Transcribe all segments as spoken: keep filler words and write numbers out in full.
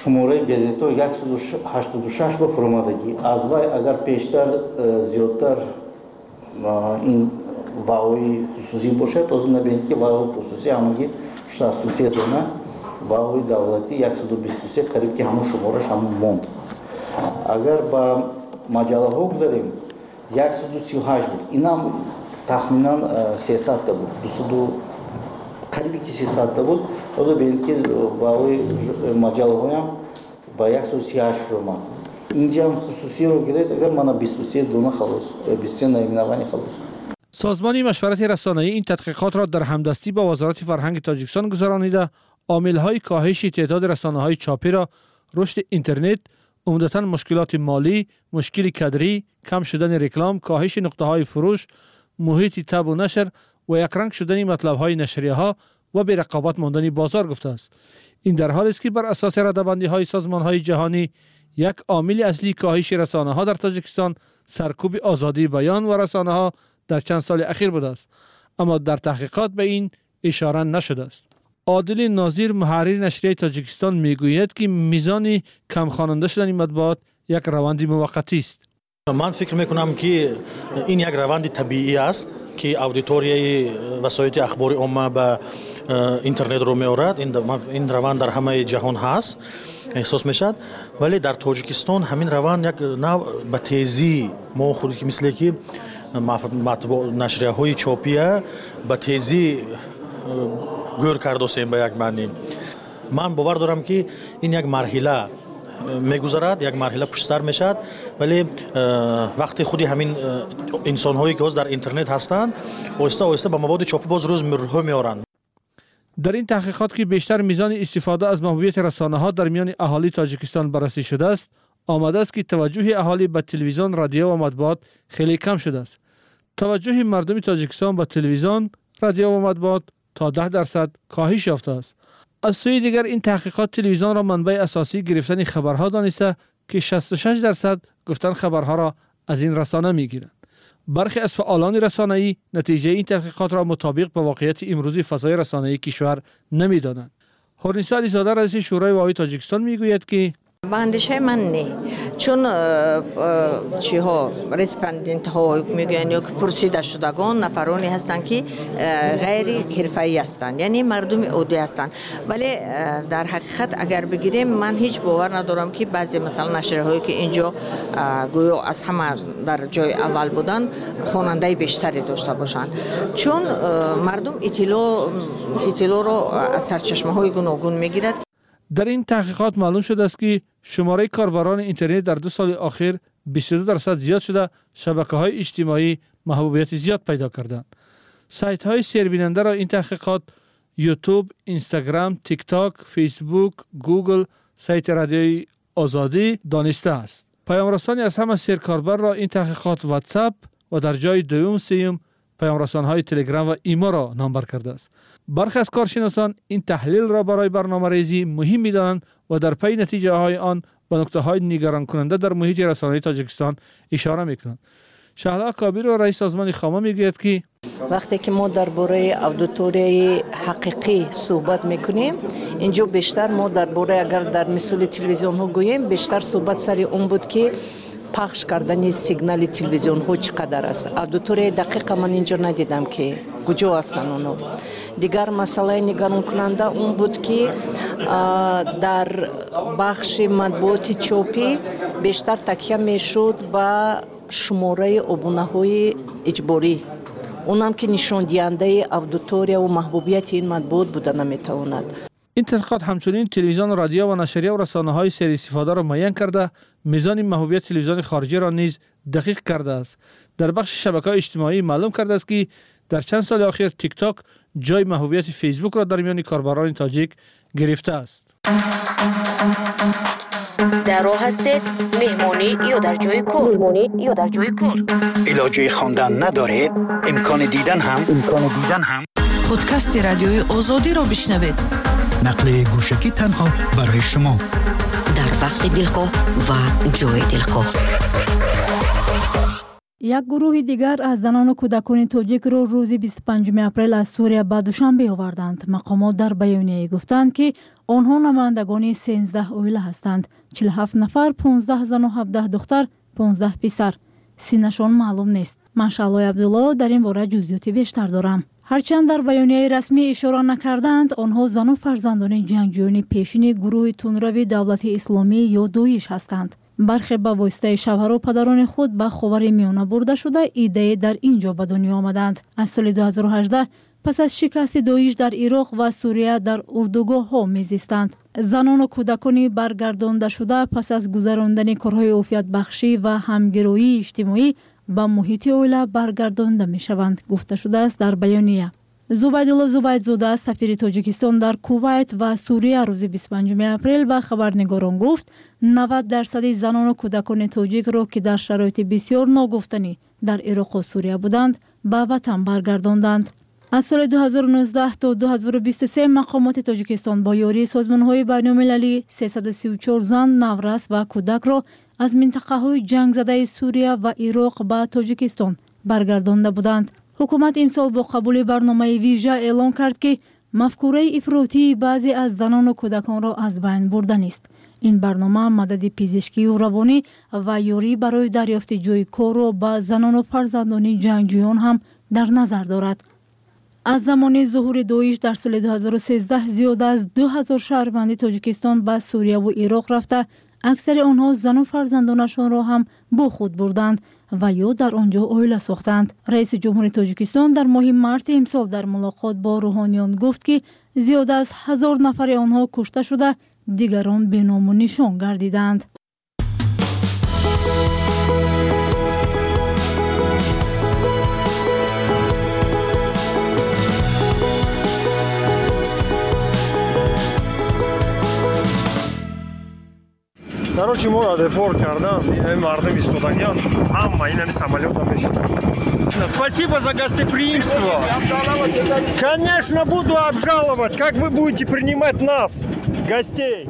Шумораи газетҳо яксаду ҳаштоду шаш ба фуромадагӣ. Аз вай агар пештар э, зиёдтар ин ваои хусусӣ бошад, ҳозир набинед, ки ваои хусусӣ ҳамагӣ шасту се дона, ваои давлатӣ яксаду бисту се, қариб ки ҳамон шумораш ҳамон монд. Агар ба маҷаллаҳо гузарем, яксаду сию ҳашт буд, инам тахминан сесадта буд, дусаду қариби ки сесадта буд. Ҳозир бинед, ки ваои маҷаллаҳоям ба яксаду сию ҳашт фуромад. Инҷам хусусиро гиред агар, мана, бисту се дона халос, бисту се наименование халос. Созмони машварати расонаӣ ин тадқиқотро дар ҳамдастӣ бо Вазорати фарҳанги Тоҷикистон гузаронида, омилҳои коҳиши теъдоди расонаҳои чопиро рушди интернет, умдатан мушкилоти молӣ, мушкили кадрӣ, кам шудани реклам, коҳиши нуқтаҳои фурӯш, муҳити табъу нашр ва якранг шудани матлабҳои нашрияҳо ва берақобат мондани бозор гуфтааст. Ин дар ҳолест, ки бар асоси радабандиҳои созмонҳои ҷаҳонӣ, як омили аслии коҳиши расонаҳо дар Тоҷикистон саркӯби озодии баён ва расонаҳо дар чанд соли ахир будааст, аммо дар таҳқиқот ба ин ишора нашудааст. Одили Нозир, муҳаррири нашрияи Тоҷикистон, мегӯяд, ки мизони камхонанда шудани матбуот як раванди муваққатист. Ман фикр мекунам, ки ин як раванди табиӣ аст, ки аудиторияи васоити ахбори омма ба интернет рӯ меорад. Ин раванд дар ҳамаи ҷаҳон ҳаст, эҳсос мешавад, вале дар Тоҷикистон ҳамин раванд як нав ба тезӣ мо худ ки мисле ки нашрияҳои чопия ба тезӣ гӯр кардосем. Ба як маънӣ, ман бовар дорам, ки ин як марҳила мегузарад, як марҳила пуштсар мешавад, вале вақте худи ҳамин инсонҳое, ки ҳозир дар интернет ҳастанд, оҳиста оҳиста ба маводи чопӣ боз рӯз рӯ меоранд. Дар ин таҳқиқот, ки бештар мизони истифода аз маҳбубияти расонаҳо дар миёни аҳолии Тоҷикистон баррасӣ шудааст, омадааст, ки таваҷҷӯҳи аҳолӣ ба телевизион, радио ва матбуот хеле кам шудааст. Таваҷҷӯҳи мардуми Тоҷикистон ба телевизион, радио ва матбуот то даҳ дарсад коҳиш ёфтааст. Аз сӯи дигар, ин таҳқиқот телевизионро манбаи асосии гирифтани хабарҳо дониста, ки шасту шаш дарсад гуфтан хабарҳоро аз ин расона мегиранд. Бархе аз фаъолони расонаӣ натиҷаи ин таҳқиқотро мутобиқ ба воқеияти имрӯзи фазои расонаии кишвар намедонанд. Ҳурнисо Ализода, раиси Шӯрои ваои Тоҷикистон, мегӯяд, ки Ба андешаи ман, не, чун э, э, чиҳо, респондентҳо мегӯянд ё ки пурсидашудагон нафароне ҳастанд, ки э, ғайри ҳирфаӣ ҳастанд, яъне мардуми оддӣ ҳастанд. Вале дар ҳақиқат агар бигирем, ман ҳеҷ бовар надорам, ки баъзе, масалан, нашрияҳое, ки инҷо гӯё аз ҳама дар ҷои аввал буданд, хонандаи бештаре дошта бошанд, чун мардум иттилоъро аз сарчашмаҳои гуногун мегирад. Дар ин таҳқиқот маълум шудааст, ки шумораи корбарони интернет дар ду соли охир бисту ду дарсад зиёд шуда, шабакаҳои иҷтимоӣ маҳбубияти зиёд пайдо карданд. Сайтҳои сербинандаро ин таҳқиқот Ютуб, Инстаграм, Тикток, Фейсбук, Гугл, сайти Радиои Озодӣ донистааст. Паёмрасони аз ҳама серкорбарро ин таҳқиқот Ватсап ва дар ҷои дуюм, сеюм паёмрасонҳои Телеграм ва Иморо номбар кардааст. Бархе аз коршиносон ин таҳлилро барои барномарезӣ муҳим медонанд ва дар пайи натиҷаҳои он ба нуктаҳои нигаронкунанда дар муҳити расонаи Тоҷикистон ишора мекунанд. Шаҳло Кобирова, раиси созмони Хома, мегӯяд, ки Вақте ки мо дар бораи аудиторияи ҳақиқӣ суҳбат мекунем, инҷо бештар мо дар бораи, агар дар мисоли телевизионҳо гӯем, бештар суҳбат сари он буд, ки пахш кардани сигнали телевизионҳо чӣ қадар аст. Аудиторияи дақиқа ман инҷо надидам, ки куҷо ҳастанд онҳо. Дигар масъалаи нигаронкунанда он буд, ки дар бахши матбуоти чопӣ бештар такя мешуд ба шумораи обунаҳои иҷборӣ, онам ки нишондиҳандаи аудиторияву маҳбубияти ин матбуот буда наметавонад. Ин тадқиқот ҳамчунин телевизион, радио ва нашрия ва расонаҳои серистифодаро муайян карда, мизони маҳбубияти телевизиони хориҷиро низ дақиқ кардааст. Дар бахши шабакаҳои иҷтимоӣ маълум кардааст, ки дар чанд соли охир Тикток ҷои маҳбубияти Фейсбукро дар миёни корбарони тоҷик гирифтааст. Дар роҳ ҳастед, меҳмонӣ ё дар ҷои кор, меҳмонӣ ё дар ҷои кор, илоҷи хондан надоред, имкони дидан ҳам имкони дидан ҳам Подкасти Радиои Озодиро бишнавед. Нақли гӯшакӣ танҳо барои шумо. Дар вақти дилхоҳ ва ҷои дилхоҳ. Як гурӯҳи дигар аз занону кӯдакони тоҷикро рӯзи бисту панҷуми апрел аз Сурия ба Душанбе оварданд. Мақомот дар баёнияе гуфтанд, ки Онҳо намояндагони сенздаҳ оила ҳастанд. Чилу ҳафт нафар, понздаҳ зану ҳабдаҳ духтар, понздаҳ писар. Синнашон маълум нест. Ман Шаълои Абдулло дар ин бора ҷузъиёти бештар дорам. Ҳарчанд дар баёнияи расмӣ ишора накардаанд, онҳо зану фарзандони ҷангҷӯёни пешини гурӯҳи тундрави давлати исломӣ ё Доиш ҳастанд. Бархе ба воситаи шавҳару падарони худ ба Ховари Миёна бурда шуда, иддае дар ин ҷо ба дунё омаданд. Аз соли ду ҳазору ҳаждаҳ пас аз шикасти Доиш дар Ироқ ва Сурия дар урдугоҳҳо мезистанд. Занону кӯдакони баргардондашуда пас аз гузарондани корҳои офиятбахшӣ ва ҳамгироии иҷтимоӣ ба муҳити оила баргардонда мешаванд, гуфта шудааст дар баёния. Зубайдулло Зубайдзода, сафири Тоҷикистон дар Кувайт ва Сурия, рӯзи бисту панҷуми апрел ба хабарнигорон гуфт, навад дарсади занону кӯдакони тоҷикро, ки дар шароити бисёр ногуфтанӣ дар Ироқу Сурия буданд, ба ватан баргардонданд. Аз соли ду ҳазору нуздаҳ то ду ҳазору бисту се мақомоти Тоҷикистон бо ёрии созмонҳои байналмилалӣ сесаду сию чор зан, наврас ва кӯдакро аз минтақаҳои ҷангзадаи Сурия ва Ироқ ба Тоҷикистон баргардонда буданд. Ҳукумат имсол бо қабули барномаи вижа эълон кард, ки мафкураи ифротии баъзе аз занону кӯдаконро аз байн бурданист. Ин барнома мадади пизишкию равонӣ ва ёрӣ барои дарёфти ҷойи корро ба занону фарзандони ҷангҷӯён ҳам дар назар дорад. Аз замони зуҳури Доиш дар соли ду ҳазору сездаҳ зиёда аз ду ҳазор шаҳрванди Тоҷикистон ба Сурияву Ироқ рафта, аксари онҳо зану фарзандонашонро ҳам бо худ бурданд ва ё дар он ҷо оила сохтанд. Раиси ҷумҳури Тоҷикистон дар моҳи марти имсол дар мулоқот бо рӯҳониён гуфт, ки зиёда аз ҳазор нафари онҳо кушта шуда, дигарон беному нишон гардиданд. Короче, моро депорт кардан, ин мардум истодагиан, ҳама ин ҳами самолётам мешуданд. Спасибо за гостеприимство. Конечно, буду обжаловать. Как вы будете принимать нас, гостей?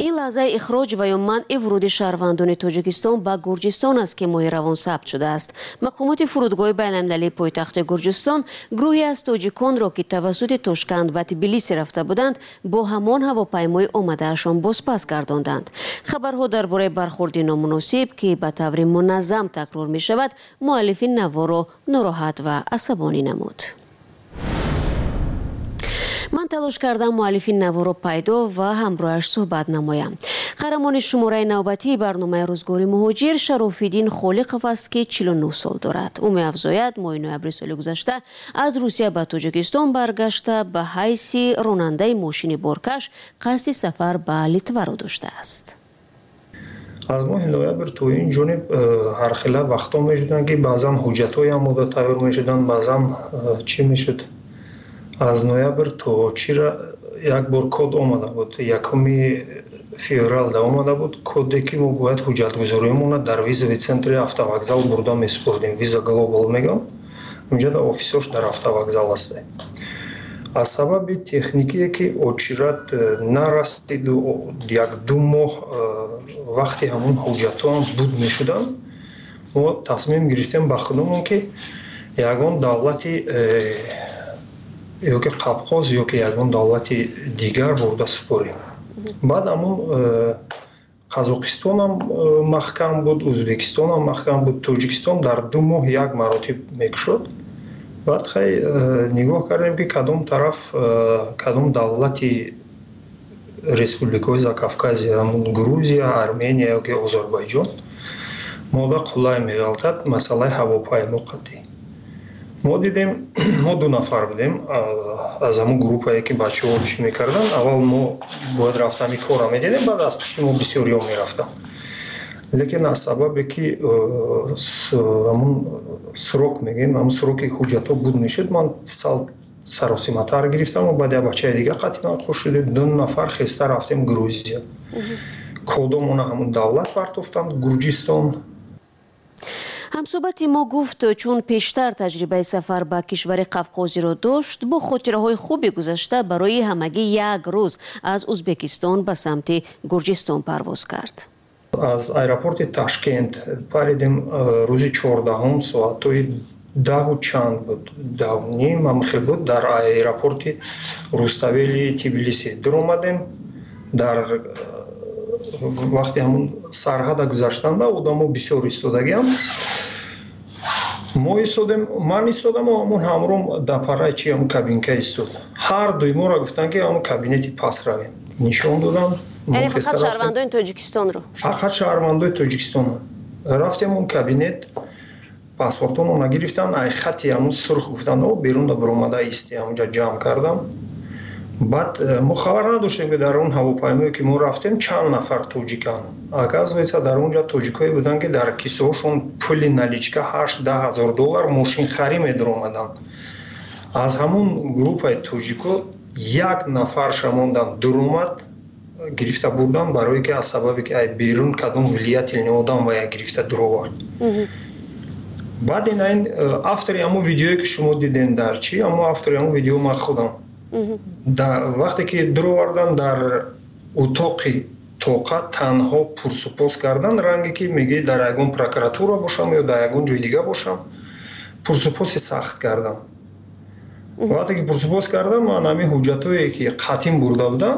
Ин лаҳзаи ихроҷ ва ё манъи вуруди шаҳрвандони Тоҷикистон ба Гурҷистон аст, ки моҳи равон сабт шудааст. Мақомоти фурудгоҳи байналмилалии пойтахти Гурҷистон гурӯҳе аз тоҷиконро, ки тавассути Тошканд ба Тбилиси рафта буданд, бо ҳамон ҳавопаймои омадаашон бозпас гардонданд. Хабарҳо дар бораи бархурди номуносиб, ки ба таври муназзам такрор мешавад, муаллифи наворо нороҳат ва асабонӣ намуд. Ман талош кардам муаллифи наворо пайдо ва ҳамроҳаш суҳбат намоям. Қаҳрамони шумораи навбатии барномаи рӯзгори муҳоҷир Шарофиддин Холиқов аст, ки чилу нӯҳ сол дорад. Ӯ меафзояд, моҳи ноябри соли гузашта аз Русия ба Тоҷикистон баргашта, ба ҳайси ронандаи мошини боркаш қасди сафар ба Литваро доштааст. Аз моҳи ноябр то ин ҷониб ҳархела вақтҳо мешуданд, ки баъзан ҳуҷҷатҳои омода тайёр мешуданд, баъзан чӣ мешуд. Аз ноябр то чира як бор код омада буд, якуми февралда омада буд коде, ки мо бояд ҳуҷҷатгузориамонро дар визовый центри автовокзал бурда месупурдем. Виза Глобал мегӯям, унҷа дар офисош дар автовокзал аст. Аз сабаби техникие, ки очират нарасиду як ду моҳ вақти ҳамон ҳуҷҷатҳоам буд мешуданд, мо тасмим гирифтем ба худамон, ки ягон давлати ёки Қапқоз ёки ягон давлати дигар бурда супорем. Баъд ҳамон Қазоқистонам маҳкам буд, Ӯзбекистонам маҳкам буд, Тоҷикистон дар ду моҳ як маротиб мекушод. Баъд хай нигоҳ кардем, ки кадом тараф, кадом давлати республикаҳои Закавказия, ҳамон Грузия, Армения ёки Озарбойҷон мода қулай меғалтад масъалаи ҳавопаймо қатъӣ. Мо дидем, мо ду нафар будем аз ҳамон группае, ки бачаҳо чӣ мекарданд. Аввал мо бояд рафтани корро медидем, баъд аз пушти мо бисёриҳо мерафтанд. Лекин аз сабабе, ки ҳамон срок мегӯем, ҳамон сроки ҳуҷҷатҳо буд мешуд, ман сал саросиматар гирифтам ва баъд як бачаи дига қатъиян хуш шудем. Ду нафар хеста рафтем Грузия. Кодомона ҳамон давлат партофтанд, Гурҷистон. Ҳамсӯҳбати мо гуфт, чун пештар таҷрибаи сафар ба кишвари Қавқозиро дошт, бо хотираҳои хуби гузашта барои ҳамагӣ як рӯз аз Ӯзбекистон ба самти Гурҷистон парвоз кард. Аз аэропорти Ташкент паридем рӯзи чордаҳум соатҳои даҳу чанд буд, даҳу ним ҳамхел буд, дар аэропорти Руставели Тбилиси дуромадем. Дар вақти ҳамун сарҳада гузаштанда одамо бисёр истодагиам. Мо истодем, ман истодам, ҳамун ҳамром дар парраи чи ҳамун кабинка истод. Ҳар дуи моро гуфтанд, ки ҳамун кабинети пас равем. Нишон додам. Яъне фақат шаҳрвандони Тоҷикистонро? Фақат шаҳрвандои Тоҷикистонро. Рафтем он кабинет, паспортонро гирифтан, ай хати ҳамун сурх гуфтанд, о берунда баромада исти, ҳамунҷа ҷамъ кардам. Баъд мо хабар надоштем, ки дар он ҳавопаймое, ки мо рафтем, чанд нафар тоҷиканд. Оказывается, дар он ҷо тоҷикое буданд, ки дар кисаҳошон пули наличка ҳашт даҳ ҳазор доллар мошинхарӣ медаромаданд. Аз ҳамун группаи тоҷико як нафарша мондан дуромад, гирифта бурдан, барое ки аз сабабе ки ай берун кадом влиятельный одам ва я гирифта дуровард. Баъд ин айн автори ҳамун видеое, ки шумо дидем дар чи, ҳамун автори ҳамун видео ман худам. Вақте ки дуровардан, дар утоқи тоқа танҳо пурсупос кардан, ранге ки мегӯӣ дар ягон прокуратура бошам ё дар ягон ҷои дига бошам, пурсупоси сахт кардам. Вақте ки пурсупос кардам, ман ҳамин ҳуҷҷатҳое, ки қатъин бурда будам,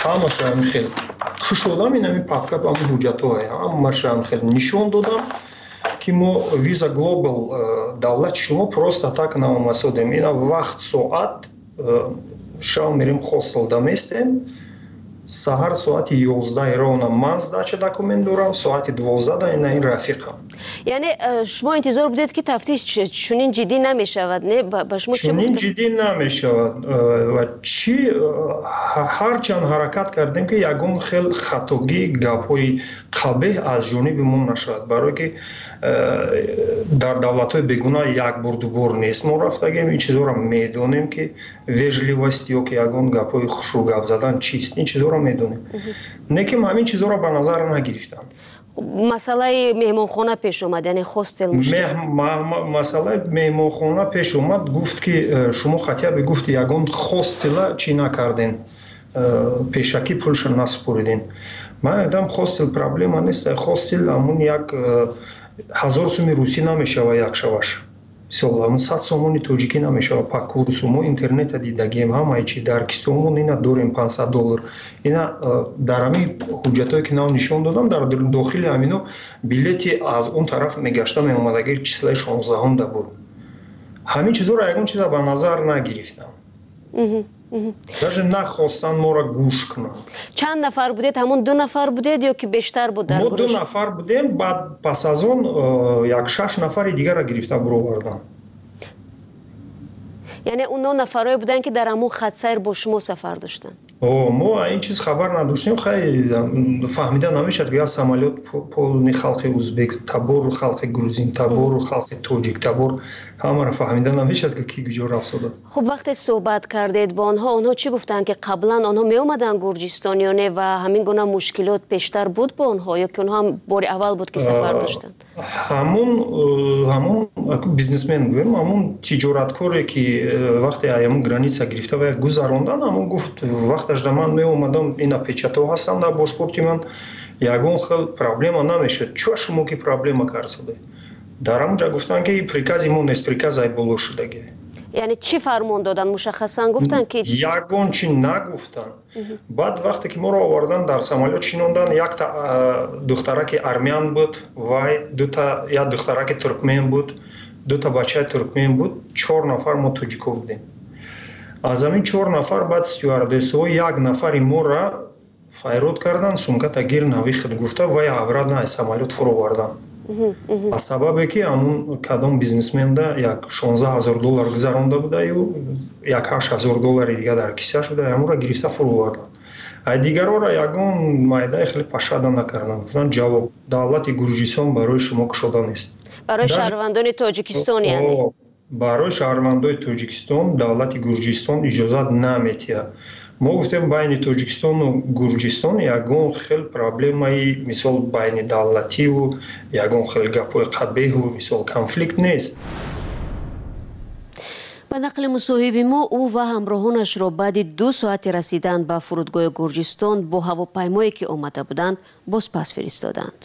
ҳамаша ҳамин хел кушодам, ин ҳамин папка ҳамин ҳуҷҷатҳое, ҳамаша ҳамин хел нишон додам, ки мо Виза Глобал давлати шумо просто так наомасодем. Ина вақт соат шав мерем хостел даместем, саҳар соати ёздаҳ ровно ман сдача документ дорам, соати дувоздаҳ ина ин рафиқам. Яъне шумо интизор будед, ки тафтиш чунин ҷиддӣ намешавад, не? Ба шумо чӣ чунин ҷиддӣ намешавад. Ва чӣ ҳарчанд ҳаракат кардем, ки ягон хел хатогӣ, гапҳои қабеҳ аз ҷониби мо нашавад, барое ки дар давлатҳои бегуна як бор дубор нест мо рафтагем, ин чизҳоро медонем, ки вежливость ё ки ягон гапҳои хушрӯ гап задан чист, ин чизҳоро медонем. Не ки ҳамин чизҳоро ба назар нагирифтам. Масъалаи меҳмонхона пеш омад, яъне хостел мушкил. Масъалаи меҳмонхона пеш омад, гуфт, ки шумо хотя бы гуфт ягон хостела чӣ накарден, пешакӣ пулша насупориден. Ман гуфтам, хостел проблема нест, хостел ҳамун як ҳазор суми русӣ намешава як шаваш. Мисол, ҳамун сад сомони тоҷикӣ намешава по курсу. Мо интернета дидагием, ҳамаи чи дар кисомон ина дорем панҷсад доллар. Ина дар ҳамин ҳуҷҷатҳое, ки нав нишон додам, дар дохили ҳамино билети аз он тараф мегашта меомадаги числаи шонздаҳумда буд. Ҳамин чизҳоро ягон чиза ба назар нагирифтам. Даже нахостанд моро гӯш кунанд. Чанд нафар будед? Ҳамун ду нафар будед ё ки бештар буд дар гурӯҳ? Мо ду нафар будем, баъд пас аз он як шаш нафари дигарро гирифта буроварданд. Яъне онҳо нафарое буданд, ки дар ҳамун хатсайр бо шумо сафар доштанд? О, мо ин чиз хабар надоштем. Хай фаҳмида намешавад, ки як самолёт полни халқи узбек табор, халқи грузин табор, халқи тоҷик табор, ҳамаро фаҳмида намешавад, ки ки куҷо рафтодааст. Хуб, вақте суҳбат кардед бо онҳо, онҳо чӣ гуфтанд, ки қаблан онҳо меомаданд Гурҷистон ё не, ва ҳамин гуна мушкилот пештар буд бо онҳо ё ки онҳо ҳам бори аввал буд, ки сафар доштанд? Ҳамун ҳамун бизнесмен гӯем, ҳамун тиҷораткоре, ки вақте ҳамун граница гирифта ва гузарондан, ҳамун гуфт, вақташ да ман меомадам, ина печатҳо ҳастанд дар бошпорти ман, ягон хел проблема намешуд. Чо шумо ки проблема карсоде? Дар ҳамун ҷа гуфтанд, ки прикази мо нест, приказ ай боло шудагӣ. Яъне чӣ фармон доданд? Мушаххасан гуфтанд, ки ягон чи нагуфтанд. Баъд вақте ки моро овардан, дар самолёт шинондан, якта духтараки армян буд, вай дута як духтараки туркмен буд, дута бачаи туркмен буд, чор нафар мо тоҷико будем. Аз ҳамин чор нафар баъд стюардессҳо як нафари моро файрод кардан, сумката гир навихд гуфта, вай обратно аз самолёт фуровардан. Аз сабабе ки ҳамун кадом бизнесменда як шонздаҳ ҳазор доллар гузаронда будаю, як ҳашт ҳазор доллари дига дар кисааш буда, ҳамонро гирифта фуровардан. Ай дигарора ягон майдаи хеле пашада накарданд. Гуфтанд, ҷавоб давлати Гурҷистон барои шумо кушода нест. Барои шаҳрвандони Тоҷикистон, яъне? Барои шаҳрвандои Тоҷикистон давлати Гурҷистон иҷозат наметиҳад. Мо гуфтем, байни Тоҷикистону Гурҷистон ягон хел проблемаи мисол байни давлативу ягон хел гапҳои қабеҳу мисол конфликт нест. Ба нақли мусоҳиби мо, ӯ ва ҳамроҳонашро баъди ду соати расидан ба фурудгоҳи Гурҷистон бо ҳавопаймое, ки омада буданд, бозпас фиристоданд.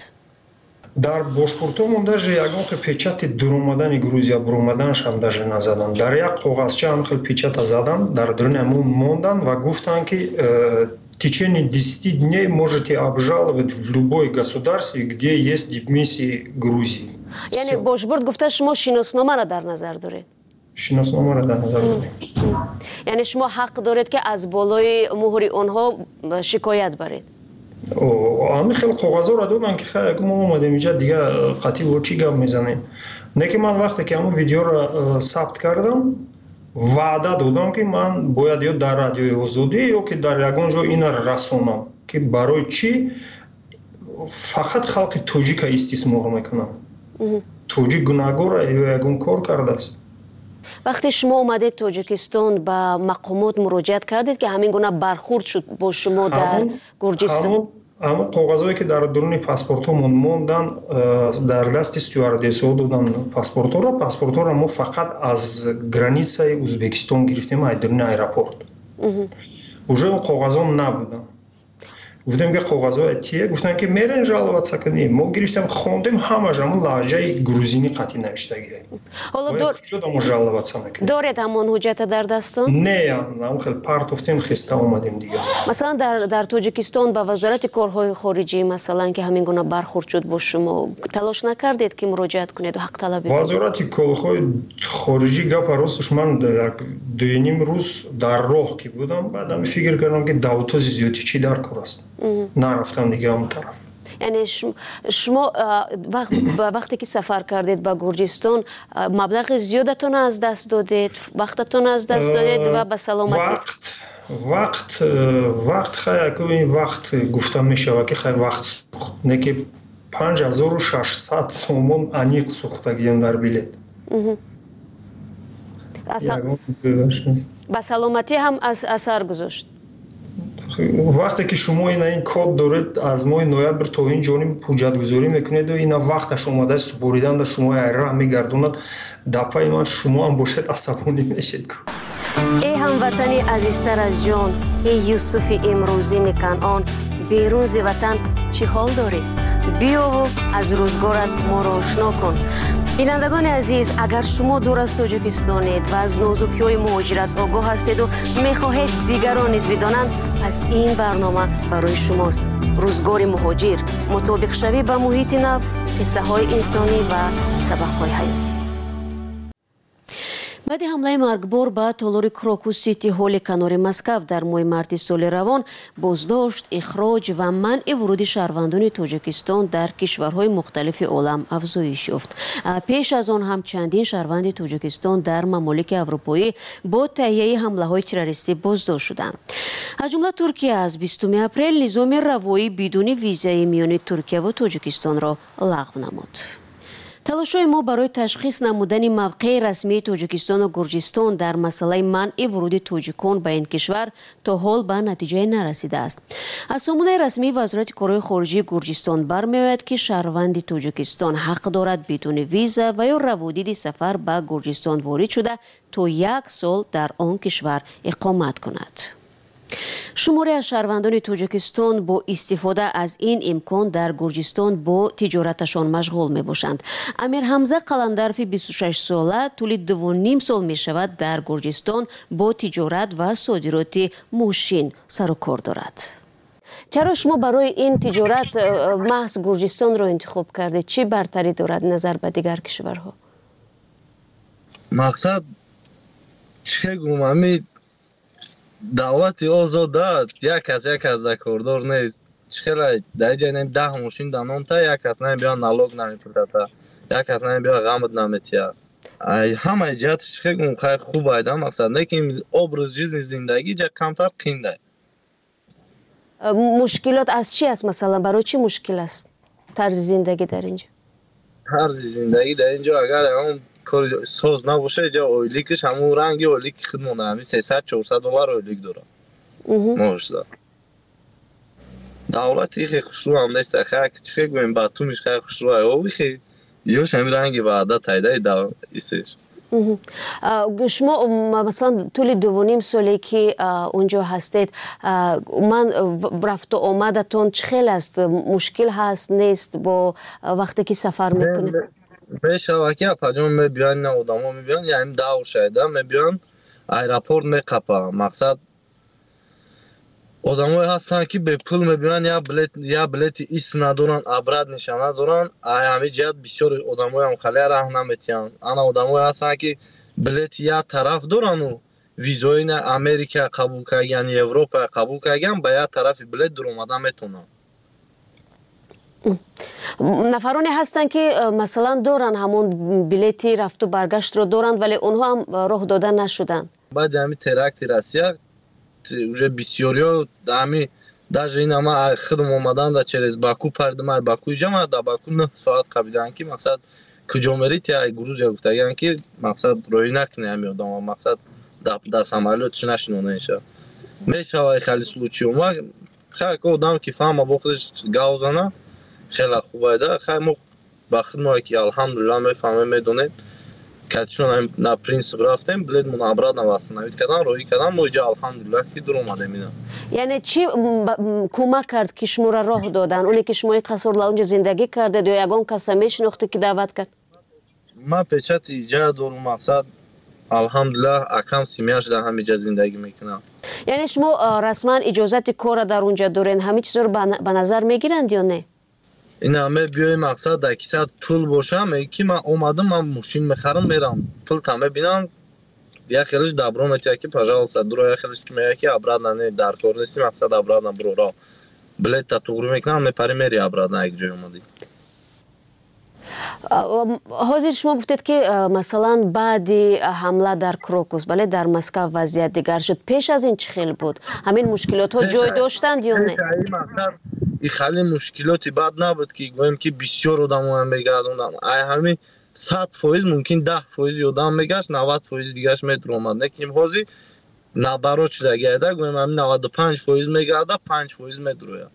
Дар бошпуртомон даже ягон хел печати дуромадани Грузия буромаданашам даже назаданд. Дар як коғазча ҳам хел печата заданд, дар даруни ҳамон монданд ва гуфтанд, ки э, в течение десяти дней можете обжаловать в любой государстве, где есть дипмиссии Грузии. Яъне бошбурд гуфта, шумо шиносномаро дар назар доред? Шиносномаро дар назар дорем. Яъне шумо ҳақ доред, ки аз болои муҳри онҳо шикоят баред? Ҳамин хел коғазҳоро доданд, ки хай, мо омадем инҷа, дига қатъи бо чӣ гап мезанем? Не ки ман вақте ки ҳамон видеоро э, сабт кардам, ваъда додам, ки ман бояд ё дар Радиои Озодӣ, ё ки дар ягон ҷо ина расонам, ки барои чӣ фақат халқи тоҷика истисмор мекунам. Тоҷик гунаҳгора ё ягон кор кардааст? Вақте шумо омадед Тоҷикистон, ба мақомот муроҷиат кардед, ки ҳамин гуна бархурд шуд бо шумо дар Гурҷистон? Ҳамон коғазҳое, ки дар дуруни паспортҳомон мондан, э, дар дасти стюардессҳо додан паспортҳоро. Паспортҳоро мо фақат аз границаи Узбекистон гирифтем, аз дуруни аэропорт. Уже он коғазҳо набуданд. Гуфтем, ки коғазҳоя тие? Гуфтанд, ки мерен жаловаться кунем. Мо гирифтем, хондем, ҳамаш ҳамон лаҳҷаи грузинӣ қатъи навиштагӣ. Куҷо мо жаловаться мекунем? Доред ҳамон ҳуҷҷата дар дастон? Не, ҳамон хел партофтем, хеста омадем дига. Масалан, дар Тоҷикистон ба Вазорати корҳои хориҷӣ, масалан, ки ҳамин гуна бархурд шуд бо шумо, талош накардед, ки муроҷиат кунеду ҳақталабӣ? Вазорати корҳои хориҷӣ, гапа росташ, ман як дуюним рӯз дар роҳ ки будам, баъдам фикр кардам, ки давтози зиёдӣ чӣ дар кор аст, нарафтам дига он тараф. Яъне шумо вақте ки сафар кардед ба Гурҷистон, маблағи зиёдатон аз даст додед, вақтатон аз даст додед ва ба саломатӣ? Вақт, вақт, хай, ин вақт гуфта мешавад, ки хай, вақт сӯхт, не ки панҷ ҳазору шашсад сомон аниқ сӯхтагием дар билет. Ба саломатӣ ҳам асар гузошт? Вақте ки шумо ина ин код доред, аз моҳи ноябр то ин ҷониб ҳуҷҷатгузорӣ мекунеду ина вақташ омада супоридан да шумо айраҳ мегардонад, дар пайи ман шумо ҳам бошед, асабонӣ мешед. Эй ҳамватани азизтар аз ҷон, эй Юсуфи имрӯзини Канъон, берун зи ватан чӣ ҳол дорӣ? Биёву аз рӯзгорат моро ошно кун. Бинандагони азиз, агар шумо дур аз Тоҷикистонед ва аз нозукиҳои муҳоҷират огоҳ ҳастеду мехоҳед дигарон низ бидонанд, пас ин барнома барои шумост. Рӯзгори муҳоҷир, мутобиқшавӣ ба муҳити нав, қиссаҳои инсонӣ ва сабақҳои ҳаётӣ. Баъди ҳамлаи маргбор ба толори Крокус Сити Ҳоли канори Москав дар моҳи марти соли равон, боздошт, ихроҷ ва манъи вуруди шаҳрвандони Тоҷикистон дар кишварҳои мухталифи олам афзоиш ёфт. Пеш аз он ҳам чандин шаҳрванди Тоҷикистон дар мамолики аврупоӣ бо таҳияи ҳамлаҳои террористӣ боздошт шуданд. Аз ҷумла Туркия аз бистуми апрел низоми равоӣ бидуни визаи миёни Туркияву Тоҷикистонро лағв намуд. Талошҳои мо барои ташхис намудани мавқеи расмии Тоҷикистону Гурҷистон дар масъалаи манъи вуруди тоҷикон ба ин кишвар то ҳол ба натиҷае нарасидааст. Аз сомонаи расмии Вазорати корҳои хориҷии Гурҷистон бармеояд, ки шаҳрванди Тоҷикистон ҳақ дорад бидуни виза ва ё раводиди сафар ба Гурҷистон ворид шуда, то як сол дар он кишвар иқомат кунад. Шуморе аз шаҳрвандони Тоҷикистон бо истифода аз ин имкон дар Гурҷистон бо тиҷораташон машғул мебошанд. Амирҳамза Қаландарфи бисту шаш сола тӯли дуву ним сол мешавад дар Гурҷистон бо тиҷорат ва содироти мошин сару кор дорад. Чаро шумо барои ин тиҷорат э, маҳз Гурҷистонро интихоб кардед? Чӣ бартарӣ дорад назар ба дигар кишварҳо? Мақсад, чӣ гум, ҳами давлати озода, як кас як кас дар кордор нест. Чӣ хела дар ҷай не даҳ мошин дар номта, як кас намебиёд, налог намепурдата, як кас намебиёд, ғамат наметиҳад. Ҳамаи ҷиҳат, чӣ гум, хай, хуб айда мақсад, лекин образ жизни, зиндагӣ ҷа камтар қиндай. Мушкилот аз чӣ аст? Масалан, барои чӣ мушкил аст тарзи зиндагӣ дар инҷо? Тарзи зиндагӣ дар инҷо, агар ягон кори соз набошад, ҷа ойликаш ҳамун ранги ойлики худмона, ҳамин сесад чорсад доллар ойлик дорад моҳшда. Давлати хе хушрӯ ҳам нест, хай, чӣ хе гӯем, Батумиш хай хушрӯ, ай хе ёш ҳамин ранги ваъда тайдаи исеш. Шумо масалан тӯли дуву ним соле ки унҷо ҳастед, ман рафту омадатон чӣ хел аст? Мушкил ҳаст, нест бо вақте ки сафар мекунед? Мешавад ки, апаҷон, мебиён, ина одамо мебиён, яъне давр шайда мебиён, аэропорт меқапа. Мақсад, одамое ҳастанд, ки бепул мебиён, я билет, я билети ис надоранд, обратный ша надоранд. Ай ҳамин ҷиҳат бисёр одамоям халия раҳ наметиҳанд. Ана одамое ҳастанд, ки билети як тараф дорану визои на Америка қабул кардагиан, Европа қабул кардагиан, ба як тарафи билет дуромада метавонанд. Нафароне ҳастанд, ки э, масалан, доранд, ҳамон билети рафту баргаштро доранд, вале онҳо ҳам роҳ дода нашуданд. Баъди ҳамин теракти Россия уже бисёриҳо ҳами, даже ин ама худм омадан да через Баку пардим, ай Баку иҷа ма да Баку нӯҳ соат қабидан, ки мақсад, куҷо мерӣ? Ти ай Грузия гуфтагиан, ки мақсад, роҳӣ накунӣ ҳами одама, мақсад, да самолёт чи нашинонеша. Мешава хеле случай ма, хай, одам ки фаҳма, бо худаш гав зана, хеле хубайда. Хай, мо ба худмо ки, алҳамдулилла, мефаҳмем, медонем, катишон на принцип рафтем, билетмон обратно восстановить кардан, роҳӣ кардан, мо иҷа, алҳамдулилла, ки дур омадем ина. Яъне чӣ кӯмак кард, ки шуморо роҳ додан? Оне ки шумо қаср лаунҷа зиндагӣ кардед ё ягон каса мешинохтед, ки даъват кард? Ман печати иҷа дорум, мақсад, алҳамдулилла, акам семья ш дар ҳамиҷа зиндагӣ мекунам. Яъне шумо расман иҷозати корра дар унҷа доред, ҳамин чизро ба назар мегиранд ё не? Ина мебиёи, мақсад, дар кисат пул боша, меги ки ман омадам, ман мошин мехарам, мерам, пулта мебинам, як хелиш добро метиҳад, ки пожалуйста, дуро, як хелиш ки мега, ки обратно не, дар кор нести, мақсад, обратно биро, ро билетта туғрӣ мекунам, мепари, мери обратно як ҷой омадӣ. Ҳозир шумо гуфтед, ки масалан, баъди ҳамла дар Крокус, бале, дар Москав вазъият дигар шуд. Пеш аз ин чӣ хел буд? Ҳамин мушкилотҳо ҷой доштанд ё не? И хеле мушкилоти бад набуд, ки гӯем, ки бисёр одамоям мегардонанд. Ай ҳамин сад фоиз мумкин даҳ фоизи одам мегашт, навад фоизи дигараш медуромад. Лекин ҳозир наоборот шудагиада, гӯем, ҳамин наваду панҷ фоиз мегарда, панҷ фоиз медурояд.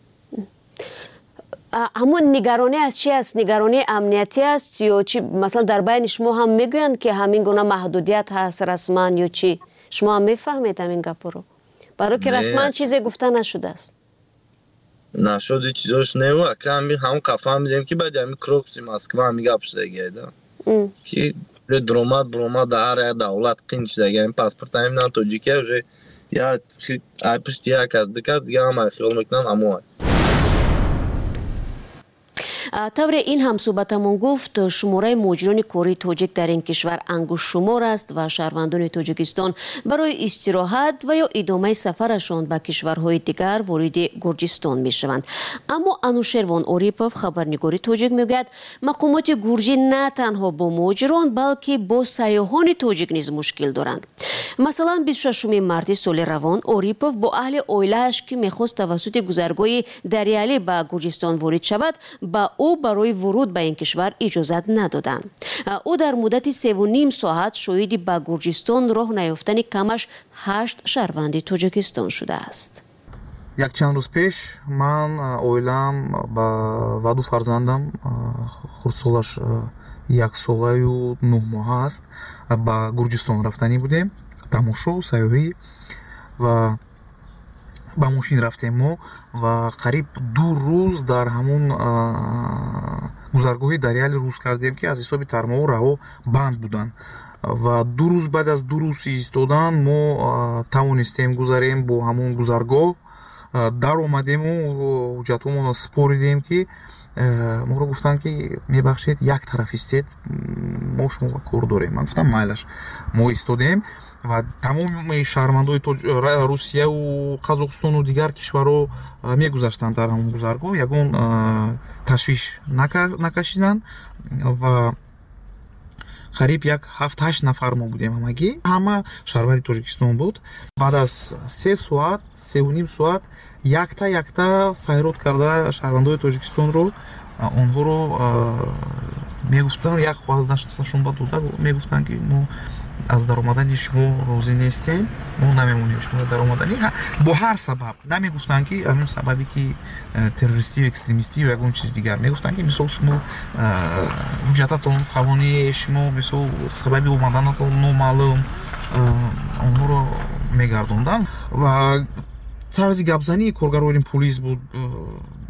Ҳамон нигаронӣ аз чи аст? Нигаронии амниятӣ аст ё чи? Масалан, дар байни шумо ҳам мегӯянд, ки ҳамин гуна маҳдудият ҳаст расман ё чӣ? Шумо ҳам мефаҳмед ҳамин гапҳоро? Барои ки расман чизе гуфта нашудааст. Нашуди чизош неву, ака, ҳами ҳам фаҳмидем, ки баъди ҳами Крокуси Москва ҳами гап шудагиада, ки дуромад буромад дар ҳар як давлат қин шудаги. Ҳами паспорт ҳами на тоҷикия уже я ай пушти як кас, ду кас дига ҳама хиёл мекунанд ҳамоай. Тавре ин ҳамсӯҳбатамон гуфт, шумораи муҳоҷирони кории тоҷик дар ин кишвар ангуштшумор аст ва шаҳрвандони Тоҷикистон барои истироҳат ва ё идомаи сафарашон ба кишварҳои дигар вориди Гурҷистон мешаванд. Аммо Анушервон Орипов, хабарнигори тоҷик, мегӯяд, мақомоти гурҷӣ на танҳо бо муҳоҷирон, балки бо сайёҳони тоҷик низ мушкил доранд. Масалан, бисту шашуми марти соли равон Орипов бо аҳли оилааш, ки мехост тавассути гузаргоҳи Дариалӣ ба Гурҷистон ворид шавад, ба ӯ барои вуруд ба ин кишвар иҷозат надоданд. Ӯ дар муддати севу ним соат шоҳиди ба Гурҷистон роҳ наёфтани камаш ҳашт шаҳрванди Тоҷикистон шудааст. Якчанд рӯз пеш ман, оилаам ва ду фарзандам, хурдсолаш яксолаю нӯҳ моҳа аст, ба Гурҷистон рафтанӣ будем, тамошо, сайёҳӣ, ва ба мошин рафтем мо ва қариб ду рӯз дар ҳамун гузаргоҳи Дариали рӯз кардем, ки аз ҳисоби тармаҳо раҳо банд буданд. Ва ду рӯз, баъд аз ду рӯз истодан, мо тавонистем гузарем бо ҳамун гузаргоҳ, даромадему ҳуҷҷатҳомонро супоридем, ки моро гуфтанд, ки мебахшед, як тараф истед, мо шумо кор дорем. Ман гуфтам, майлаш. Мо истодем ва тамоми шаҳрвандои Русияву Қазоқистону дигар кишварҳо мегузаштанд дар ҳамон гузаргоҳ, ягон ташвиш накашиданд. Ва қариб як ҳафт ҳашт нафар мо будем, ҳамагӣ ҳама шаҳрванди Тоҷикистон буд. Баъд аз се соат, севу ним соат, якта якта файрод карда шаҳрвандои Тоҷикистонро, онҳоро мегуфтанд, як хоҳаз дасташон ба дода, мегуфтанд, ки мо Аз даромадани шумо розӣ нестем, мо намемонем шумо даромадани бо ҳар сабаб. Намегуфтанд ки ҳамон сабабе ки террористию экстремистию ягон чиз дигар. Мегуфтанд ки мисол шумо ҳуҷҷататон фалони, шумо мисол сабаби омаданатон номаълум, онҳоро мегардонданд. Ва тарзи гапзании коргарони пулис буд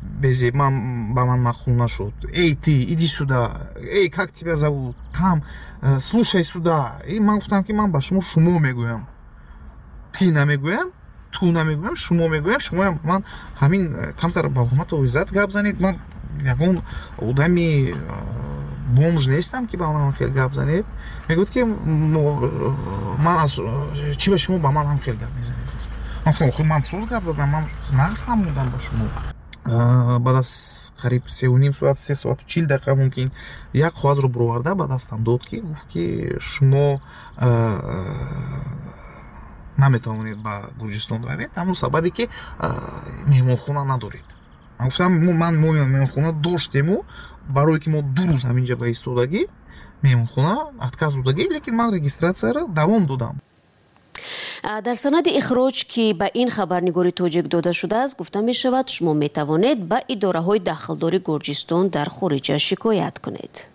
безеб, ман ба ман маъқул нашуд. Эй ты, иди сюда, эй как тебя зовут, там, слушай сюда. И ман гуфтам ки ман ба шумо шумо мегӯям, ти намегӯям, ту намегӯям, шумо мегӯям. Шумоям ман ҳамин камтар ба ҳурмату иззат гап занед. Ман ягон одами бомж нестам ки ба ман хел гап занед. Мегӯяд ки ман аз чӣ ба шумо ба ман ҳам хел гап мезанед. Ман гуфтам охир ман соз гап задам, ман нағз фаҳмондам ба шумо. Баъд аз қариб сеу ним соат, се соату чил дақиқа мумкин, як коғазро буроварда ба дастам дод ки гуфт ки шумо наметавонед ба Гурҷистон равед, ҳамон сабабе ки меҳмонхона надоред. Ман гуфтам ман мо меҳмонхона доштему, барое ки мо ду рӯз ҳаминҷа ба истодагӣ меҳмонхона отказ додагӣ, лекин ман регистратсияро давом додам. Дар санади ихроҷ ки ба ин хабарнигори тоҷик дода шудааст, гуфта мешавад шумо метавонед ба идораҳои дахлдори Гурҷистон дар хориҷа шикоят кунед.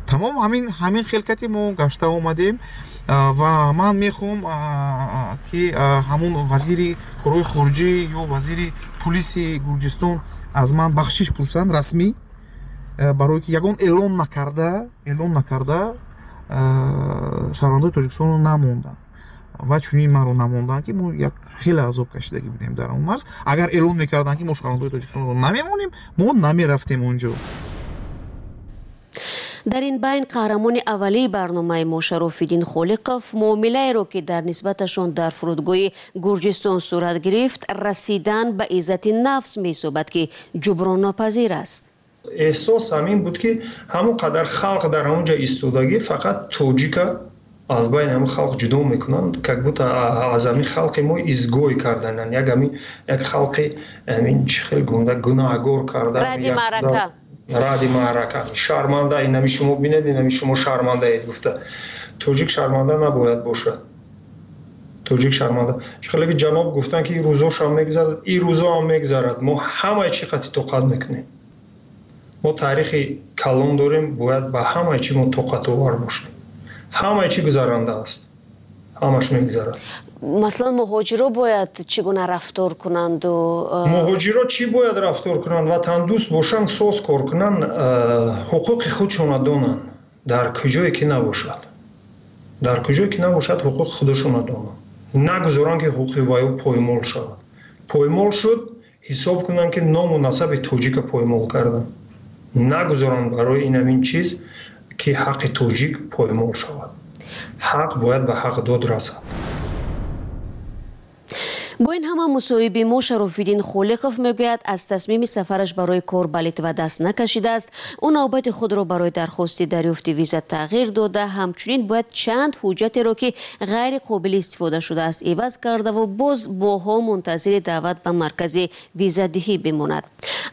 Тамом ҳамин ҳамин хелкати мо гашта омадем ва ман мехоҳам ки ҳамун вазири корҳои хориҷӣ ё вазири пулиси Гурҷистон аз ман бахшиш пурсанд расмӣ, барое ки ягон эълон накарда эълон накарда шаҳрвандои Тоҷикистонро намонданд ва чунин маро намонданд ки мо як хеле азоб кашидагӣ будем дар он марз. Агар эълон мекарданд ки мо шаҳрвандои Тоҷикистонро намемонем, мо намерафтем онҷо. Дар ин байн қаҳрамони аввалии барномаи мо Шарофиддин Холиқов муомилаеро ки дар нисбаташон дар фурудгоҳи Гурҷистон сурат гирифт, расидан ба иззати нафс меҳисобад ки ҷуброннопазир аст. Эҳсос ҳамин буд ки ҳамон қадар халқ дар ҳамон ҷо истодагӣ, фақат тоҷика аз байни ҳамин халқ ҷудо мекунанд, как будто аз ҳамин халқи мо изгой кардананд, як ҳамин як халқи ҳамин чӣ хел гунда гунаҳгор кардан, ради маърака, ради маърака, шарманда, инами шумо бинед, инами шумо шармандаед гуфта. Тоҷик шарманда набояд бошад. Тоҷик шарманда. Чӣ хеле ки ҷаноб гуфтанд ки ин рӯзошам мегузарад, ин рӯзо ҳам мегузарад. Мо ҳамаи чӣ қати тоқат мекунем. Мо таърихи калон дорем, бояд ба ҳамаи чӣ мо тоқатовар бошем. Ҳамаи чӣ гузаранда аст, ҳамаш мегузарад. Масалан, муҳоҷиро бояд чӣ гуна рафтор кунанд? Муҳоҷиро чӣ бояд рафтор кунанд? Ватандӯст бошанд, соз кор кунанд, ҳуқуқи худшонро донанд. Дар куҷое ки набошад, дар куҷое ки набошад, ҳуқуқи худашонро донанд. Нагузоранд ки ҳуқуқи вайо поймол шавад. Поймол шуд, ҳисоб кунанд ки ному насаби тоҷика поймол карданд. Нагузоранд барои ин ҳамин чиз ки ҳаққи тоҷик поймол шавад. Ҳақ бояд ба ҳақ дод расад. Бо ин ҳама мусоҳиби мо Шарофиддин Холиқов мегӯяд аз тасмими сафараш барои кор ба Литва даст накашидааст. Ӯ навбати худро барои дархости дарёфти виза тағйир дода, ҳамчунин бояд чанд ҳуҷҷатеро ки ғайри қобили истифода шудааст иваз кардаву боз моҳҳо мунтазири даъват ба маркази визадиҳӣ бимонад.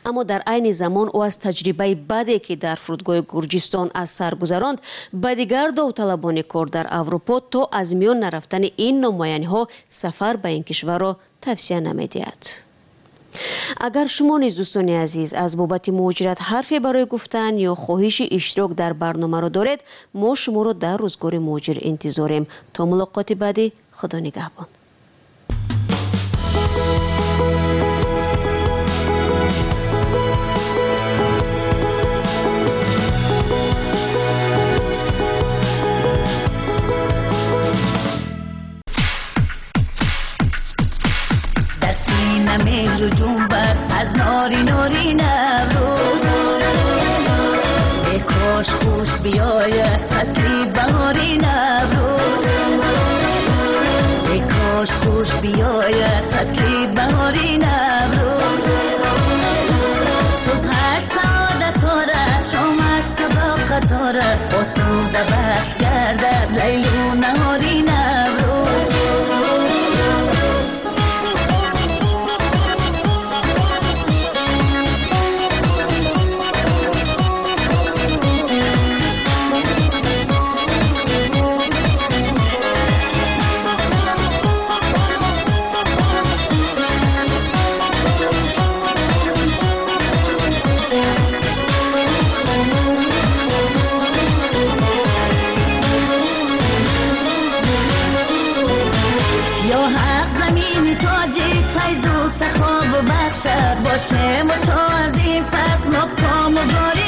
Аммо дар айни замон ӯ аз таҷрибаи баде ки дар фурудгоҳи Гурҷистон аз сар гузаронд, ба дигар довталабони кор дар Аврупо то аз миён нарафтани ин номояниҳо сафар ба ин кишварро тавсия намедиҳад. Агар шумо низ дӯстони азиз аз бобати муҳоҷират ҳарфе барои гуфтан ё хоҳиши иштирок дар барномаро доред, мо шуморо дар рӯзгори муҳоҷир интизорем. То мулоқоти баъдӣ, Худо нигаҳбон. مهر جنبد از ناری ناری نوروز، ای کاش خوش بیاید فصل بهاری نوروز، ای کاش خوش بیاید فصل بهاری نوروز. صبحش سعادت دارد، شامش صداقت دارد، آسوده بخش گردد لیل و نهاری نوروز. бошем, то аз ин пас мо комугорӣ.